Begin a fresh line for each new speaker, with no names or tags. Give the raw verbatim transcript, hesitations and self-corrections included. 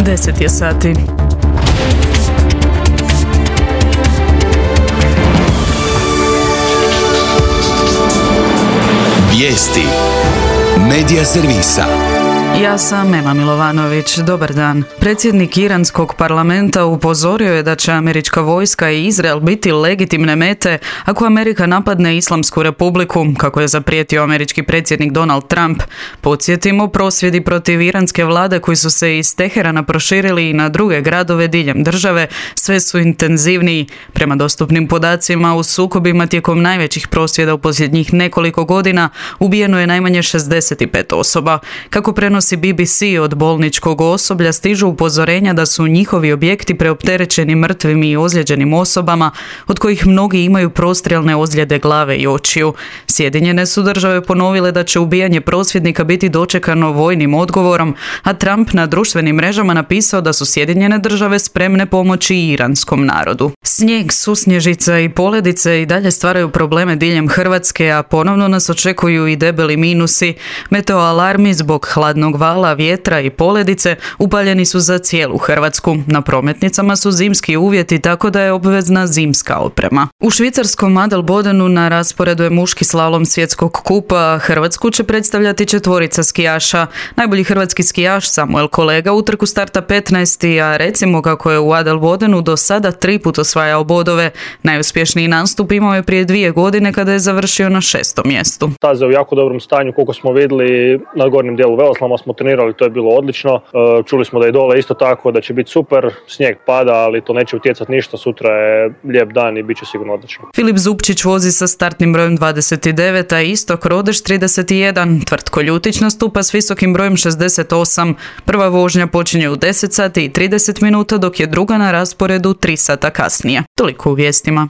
deset je sati.
Vijesti Medija servisa.
Ja sam Ema Milovanović. Dobar dan. Predsjednik iranskog parlamenta upozorio je da će američka vojska i Izrael biti legitimne mete ako Amerika napadne Islamsku republiku, kako je zaprijetio američki predsjednik Donald Trump. Podsjetimo, prosvjedi protiv iranske vlade koji su se iz Teherana proširili i na druge gradove diljem države sve su intenzivniji. Prema dostupnim podacima, u sukobima tijekom najvećih prosvjeda u posljednjih nekoliko godina ubijeno je najmanje šezdeset pet osoba. Kako prenosi B B C, od bolničkog osoblja stižu upozorenja da su njihovi objekti preopterećeni mrtvim i ozlijeđenim osobama, od kojih mnogi imaju prostrijelne ozljede glave i očiju. Sjedinjene su države ponovile da će ubijanje prosvjednika biti dočekano vojnim odgovorom, a Trump na društvenim mrežama napisao da su Sjedinjene države spremne pomoći iranskom narodu. Snijeg, susnježica i poledice i dalje stvaraju probleme diljem Hrvatske, a ponovno nas očekuju i debeli minusi. Meteoalarmi zbog hladnog vala, vjetra i poledice upaljeni su za cijelu Hrvatsku. Na prometnicama su zimski uvjeti, tako da je obvezna zimska oprema. U švicarskom Adelbodenu na rasporedu je muški slalom svjetskog kupa. Hrvatsku će predstavljati četvorica skijaša. Najbolji hrvatski skijaš Samuel Kolega u trku starta petnaesti, a recimo kako je u Adelbodenu do sada tri put osvajao bodove. Najuspješniji nastup imao je prije dvije godine kada je završio na šestom mjestu.
Staza je u jako dobrom stanju, koliko smo vidjeli na gornjem dijelu Veloslama smo trenirali, to je bilo odlično. Čuli smo da je dole isto tako, da će biti super. Snijeg pada, ali to neće utjecati ništa. Sutra je lijep dan i bit će sigurno odlično.
Filip Zupčić vozi sa startnim brojem dvadeset devet, a Istok Rodeš trideset jedan. Tvrtko Ljutić nastupa s visokim brojem šezdeset osam. Prva vožnja počinje u deset sati i trideset minuta, dok je druga na rasporedu tri sata kasnije. Toliko u vijestima.